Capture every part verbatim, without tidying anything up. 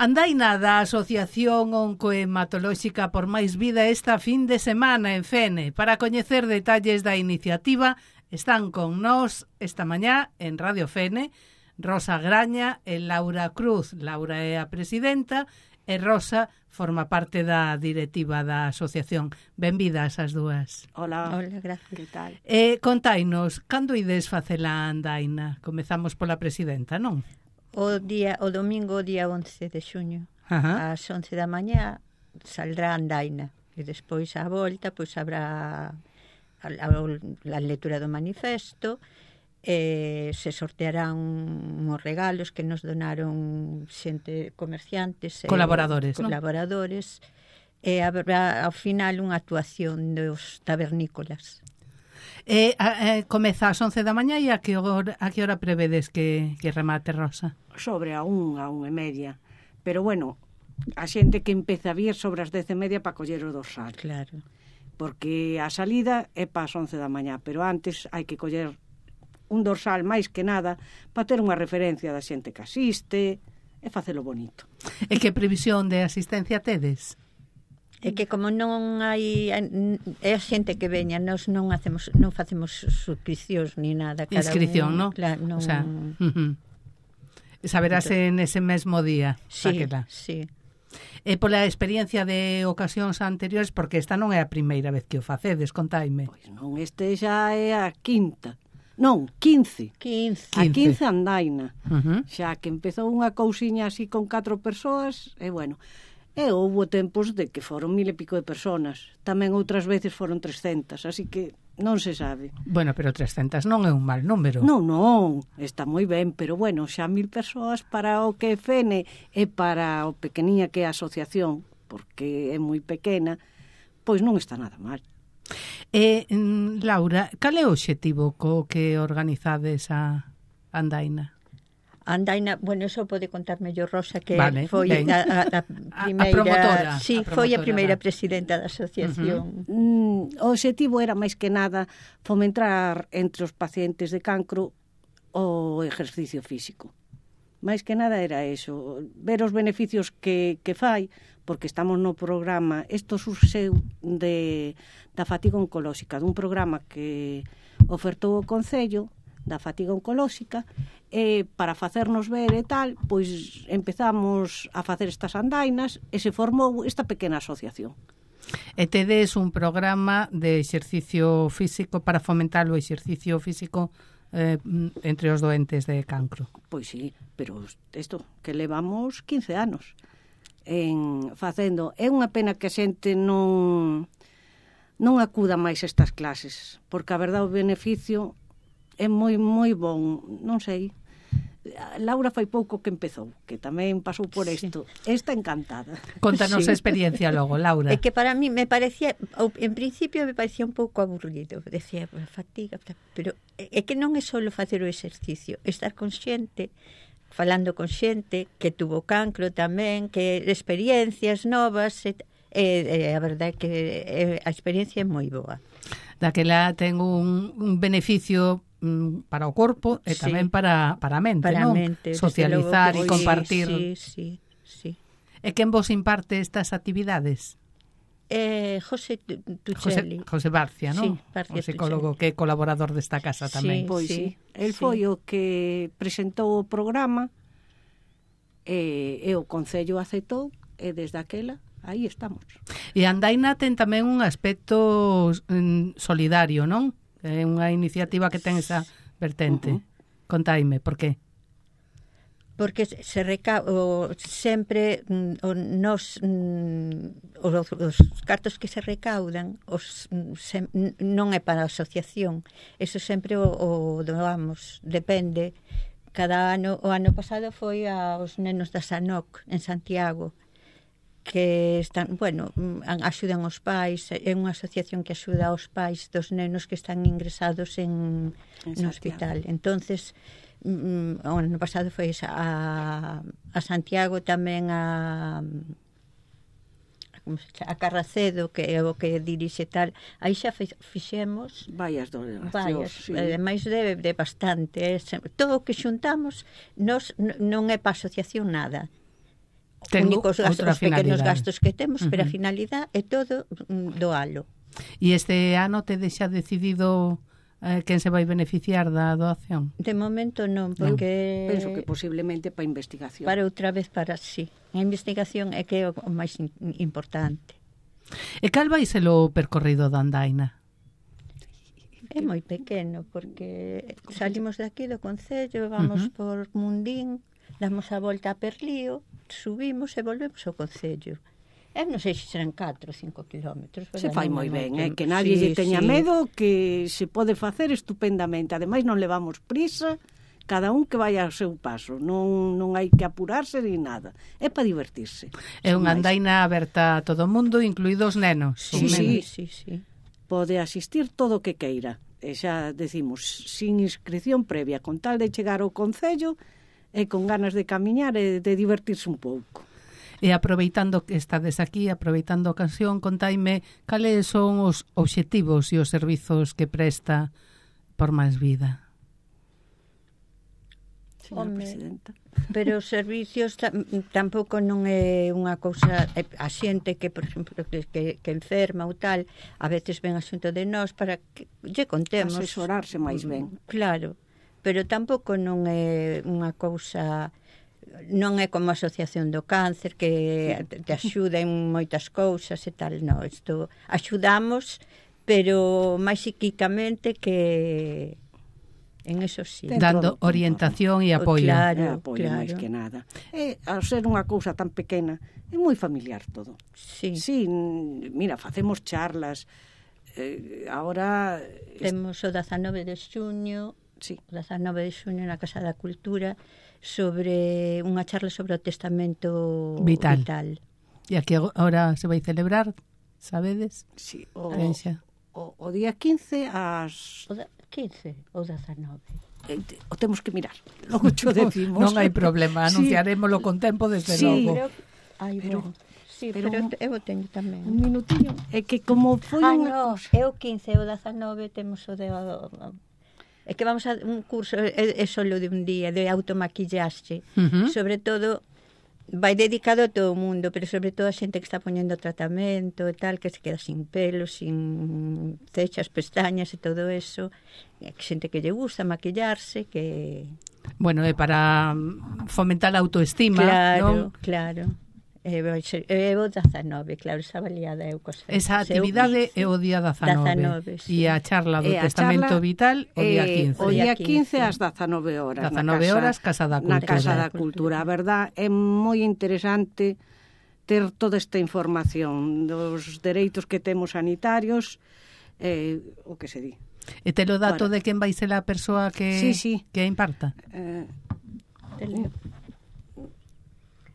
Andaina da Asociación Oncohematolóxica por Máis Vida esta fin de semana en Fene. Para coñecer detalles da iniciativa están con nós esta mañá en Radio Fene Rosa Graña e Laura Cruz. Laura é a presidenta e Rosa forma parte da directiva da asociación. Benvidas as dúas. Hola. Hola, gracias. Que tal? E containos, cando ides facela andaina? Comezamos pola presidenta, non? O día o domingo, día once de xuño, Ajá. ás once da mañá saldrá a andaina e despois á volta pois habrá a, a, a lectura do manifesto. Eh, se sortearán uns regalos que nos donaron xente, comerciantes, colaboradores, eh, colaboradores, e habrá ao final unha actuación dos tabernícolas. E eh, comeza ás once da mañá e a que hora, a que hora prevedes que, que remate, Rosa? Sobre a un, a un e media. Pero bueno, a xente que empeza a vir sobre as dez e media para coller o dorsal. Claro. Porque a salida é para as once da mañá, pero antes hai que coller un dorsal máis que nada para ter unha referencia da xente que asiste e facelo bonito. E que previsión de asistencia tedes? É que como non hai é a xente que veña, nós non hacemos non facemos suscripcións ni nada, cada inscripción, un, ¿no? Claro, non. O sea, uh-huh. Saberase en ese mesmo día. Sí, Raquela. sí. E pola experiencia de ocasións anteriores, porque esta non é a primeira vez que o facedes, contaime. Pois non, este xa é a quinta. Non, quince. quince. A quince andaina. Uh-huh. Xa que empezou unha cousiña así con catro persoas, e bueno, e houve tempos de que foron mil e pico de personas. Tamén outras veces foron trescentas, así que non se sabe. Bueno, pero trescentas non é un mal número. Non, non, está moi ben, pero bueno, xa mil persoas para o que é Fene e para o pequeniña que é a asociación, porque é moi pequena, pois non está nada mal. E, Laura, cal é o obxectivo co que organizades a andaina? Andaina, bueno, eso pode contar mellor Rosa, que vale, foi a, a, a primeira, a promotora, sí, a promotora, foi a primeira va. presidenta da asociación. Uh-huh. Mm, o obxectivo era máis que nada fomentar entre os pacientes de cancro o exercicio físico. Máis que nada era eso, ver os beneficios que, que fai, porque estamos no programa, isto surxeu de, da fatiga oncolóxica, dun programa que ofertou o Concello da fatiga oncolóxica, e para facernos ver e tal, pois empezamos a facer estas andainas e se formou esta pequena asociación. E tedes un programa de exercicio físico para fomentar o exercicio físico eh, entre os doentes de cancro. Pois sí, pero isto que levamos quince anos en facendo. É unha pena que a xente non non acuda máis a estas clases, porque a verdade o beneficio é moi moi bon, non sei. Laura fai pouco que empezou, que tamén pasou por isto. Sí. Está encantada. Contanos Sí. a experiencia logo, Laura. É que para mí me parecía, en principio me parecía un pouco aburrido, decía, fatiga, pero é que non é só facer o exercicio, estar consciente, falando con xente que tuvo cancro tamén, que experiencias novas, e, e a verdade é que a experiencia é moi boa. Daquela ten un, un beneficio mm, para o corpo e Sí. tamén para, para a mente, Para non? a mente, Socializar e desde logo, compartir. Sí, sí, sí. E quen vos imparte estas actividades? Eh, José Tuchelli. José, José Barcia, non? Sí, Barcia o psicólogo que é colaborador desta casa Sí. tamén. Pois sí, el foi o que presentou o programa e, e o Concello aceptou e desde aquela aí estamos. E a andaina ten tamén un aspecto mm, solidario, non? É unha iniciativa que ten esa vertente. Uh-huh. Contaime, por qué? Porque se reca o, sempre o, nos mm, os, os cartos que se recaudan os, se, non é para a asociación, eso sempre o, o doamos, depende. Cada ano, o ano pasado foi aos nenos da Sanoc en Santiago, que están, bueno, axudan os pais, é unha asociación que axuda aos pais dos nenos que están ingresados en, en no hospital. Entonces, mm, o ano pasado foi a, a Santiago, tamén a como se chama, a Carracedo, que é o que dirixe tal, aí xa fixemos Vaias donacións, varias, sí. ademais de, de bastante, é, todo o que xuntamos nos non é para asociación nada. Ten únicos gastos, outra os pequenos finalidade. gastos que temos, uh-huh. pero a Uh-huh. finalidade é todo mm, doalo. E este ano te deixa decidido eh, quen se vai beneficiar da doación? De momento non, porque... Penso que posiblemente para investigación. Para outra vez para sí. A investigación é que é o máis in, importante. E cal vai ser o percorrido da andaina? É moi pequeno, porque salimos de aquí do Concello, vamos uh-huh. por Mundín, damos a volta a Perlío, subimos e volvemos ao Concello. Eu non sei se serán catro ou cinco kilómetros. Se fai moi ben, eh? Que nadie sí, lle teña sí. medo, que se pode facer estupendamente. Ademais non levamos prisa, cada un que vaya ao seu paso. Non, non hai que apurarse ni nada. É para divertirse. É unha andaina aberta a todo o mundo, incluídos nenos. Sí, sí, sí, sí. Pode asistir todo o que queira. E xa decimos, sin inscripción previa, con tal de chegar ao Concello e con ganas de camiñar e de divertirse un pouco. E aproveitando que estades aquí, aproveitando a ocasión, contaime cales son os obxectivos e os servizos que presta Por Máis Vida. Señora Presidenta. Pero os servicios tam, tampouco non é unha cousa, a xente que, por exemplo, que, que, que enferma ou tal, a veces ven asunto de nós para que lle contemos. Asesorarse máis ben. Claro, pero tampouco non é unha cousa... Non é como a Asociación do Cáncer que te axuda en moitas cousas e tal, non, isto axudamos, pero máis psíquicamente que en eso sí. Dando orientación e apoio. Claro, é apoio claro. máis que nada. E, ao ser unha cousa tan pequena, é moi familiar todo. Sí. Sí, mira, facemos charlas, eh, ahora... Temos o dezanove de xuño, sí. o dezanove de xuño na Casa da Cultura, sobre unha charla sobre o testamento vital. vital. E aquí agora se vai celebrar, sabedes? Sí, o, o, o día quince ás... O da, quince ou dezanove? Eh, o temos que mirar, logo cho decimos. Non hai problema, anunciarémoslo sí. con tempo desde sí, logo. Pero, ai, pero, bueno. Sí, pero, pero eu teño tamén. Un minutinho, é que como foi ah, unha no, cosa... é o quince ou dezanove temos o de... É que vamos a un curso, é, é solo de un día, de automaquillaxe. Uh-huh. Sobre todo, vai dedicado a todo o mundo, pero sobre todo a xente que está poñendo tratamento e tal, que se queda sin pelo, sin cechas, pestañas e todo eso. E xente que lle gusta maquillarse, que... Bueno, é para fomentar a autoestima, claro, non? Claro, é o dezanove, claro, esa baleada é o cosa. Esa actividade é o día dezanove. Sí. E a charla do e a testamento charla, vital o día quince. O día quince ás dezanove horas. dezanove horas, Casa da Cultura. Na Casa da Cultura. A verdad, é moi interesante ter toda esta información dos dereitos que temos sanitarios, eh, o que se di. E te lo dato Para. de quen vai ser a persoa que, sí, sí. que imparta? Eh,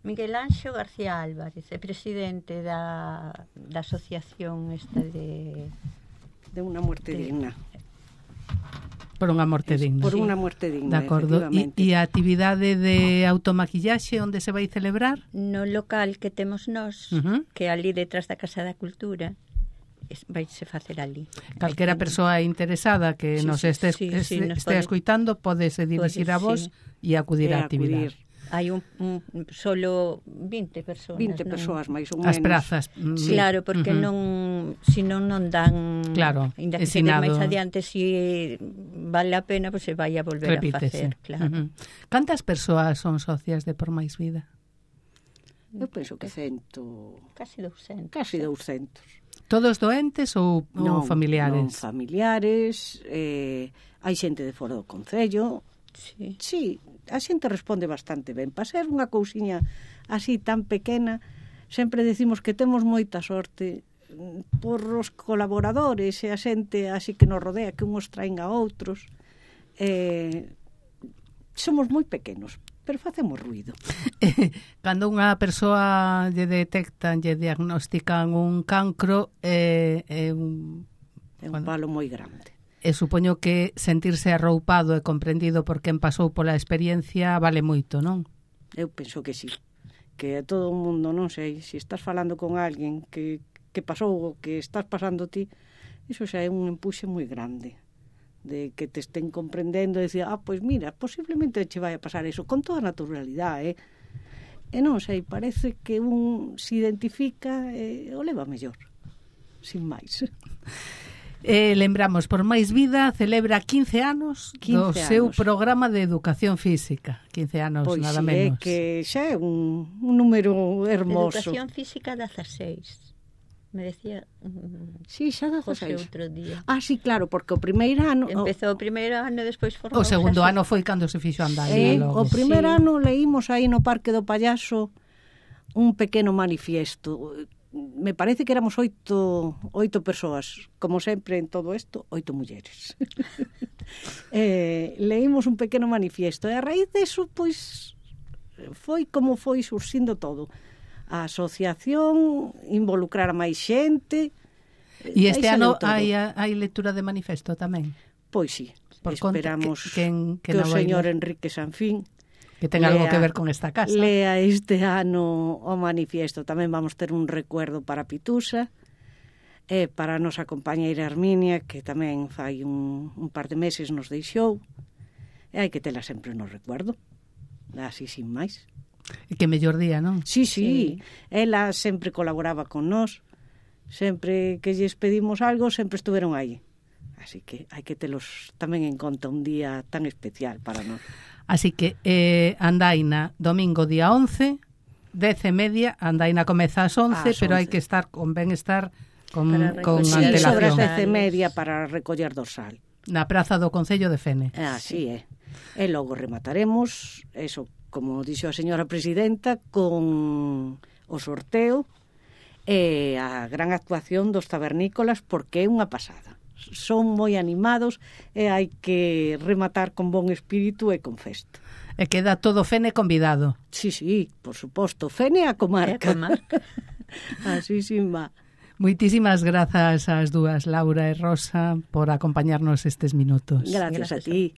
Miguel Anxo García Álvarez, é presidente da, da asociación esta de... De unha muerte de, digna. Por unha morte Es, digna. Por sí. unha muerte digna, de acordo. E, efectivamente. e a actividade de automaquillaxe onde se vai celebrar? No local que temos nós, Uh-huh. que é ali detrás da Casa da Cultura, vaise facer ali. Calquera persoa interesada que Sí, nos sí, este, sí, este, sí, nos este pode- escuitando podese dirixir a vos e acudir E á actividade. acudir. Hai un, un solo vinte persoas. vinte non? persoas máis ou As menos. prazas. mm, Sí. Claro, porque uh-huh. non, si non non dan, Claro, ainda que se ensinado. máis adiante, si vale a pena, pois pues se vai a volver Repítese. a facer, claro. Uh-huh. Cantas persoas son socias de Por Máis Vida? Eu penso que cento... Casi douscentos. Casi douscentos. Todos doentes ou, ou Non, familiares? Non, familiares, eh, hai xente de fora do Concello. Sí. Sí, a xente responde bastante ben. Para ser unha cousiña así tan pequena, sempre decimos que temos moita sorte por os colaboradores e a xente así que nos rodea, que uns traen a outros. Eh, somos moi pequenos, pero facemos ruido. Cando unha persoa lle detectan, lle diagnostican un cancro, é eh, eh, un... É un bueno, palo moi grande. e supoño que sentirse arroupado e comprendido por quen pasou pola experiencia vale moito, non? Eu penso que sí. Que a todo o mundo, non sei, se estás falando con alguén que, que pasou o que estás pasando ti, iso xa é un empuxe moi grande. De que te estén comprendendo e dicir, ah, pois mira, posiblemente che vai a pasar eso, con toda a naturalidade, eh? E non sei, parece que un se identifica e o leva mellor, sin máis. Eh, lembramos, Por Máis Vida celebra quince anos do seu programa de educación física. quince anos, pois nada sí, menos. Pois que xa é un, un número hermoso. Educación física dezasseis. Me decía... Sí, xa dezasseis. Outro día. Ah, sí, claro, porque o primeiro ano... Empezou o primeiro ano e despois formou... O segundo ano foi cando se fixo andar. Eh, o primeiro sí. ano leímos aí no Parque do Pallaso un pequeno manifiesto. Me parece que éramos oito, oito persoas, como sempre en todo isto, oito mulleres. eh, leímos un pequeno manifiesto e a raíz deso, pois, foi como foi surxindo todo. A asociación, involucrar a máis xente. E este ano hai, hai lectura de manifesto tamén? Pois sí, por esperamos que, que, que, que o señor Enrique Sanfín que ten algo que ver con esta casa. Lea este ano o manifiesto. Tamén vamos ter un recuerdo para Pitusa e para a nosa compañeira Herminia, que tamén fai un, un par de meses nos deixou. E hai que tela sempre no recuerdo. Así sin máis. E que mellor día, non? Sí, sí, sí. Ela sempre colaboraba con nós. Sempre que lles pedimos algo, sempre estuveron aí. Así que hai que telos tamén en conta un día tan especial para nós. Así que eh, andaina domingo día once, dez e media, andaina comeza ás once, pero hai que estar con ben estar con, con sí, antelación. Sobre as dez e media para recoller dorsal. Na praza do Concello de Fene. Así é. E logo remataremos, eso, como dixo a señora presidenta, con o sorteo e a gran actuación dos tabernícolas, porque é unha pasada. Son moi animados e hai que rematar con bon espírito e con festa. E queda todo Fene convidado. Sí, sí, por suposto. Fene a comarca. A comarca. Así sin va. Moitísimas grazas ás dúas, Laura e Rosa, por acompañarnos estes minutos. Gracias, Gracias a ti.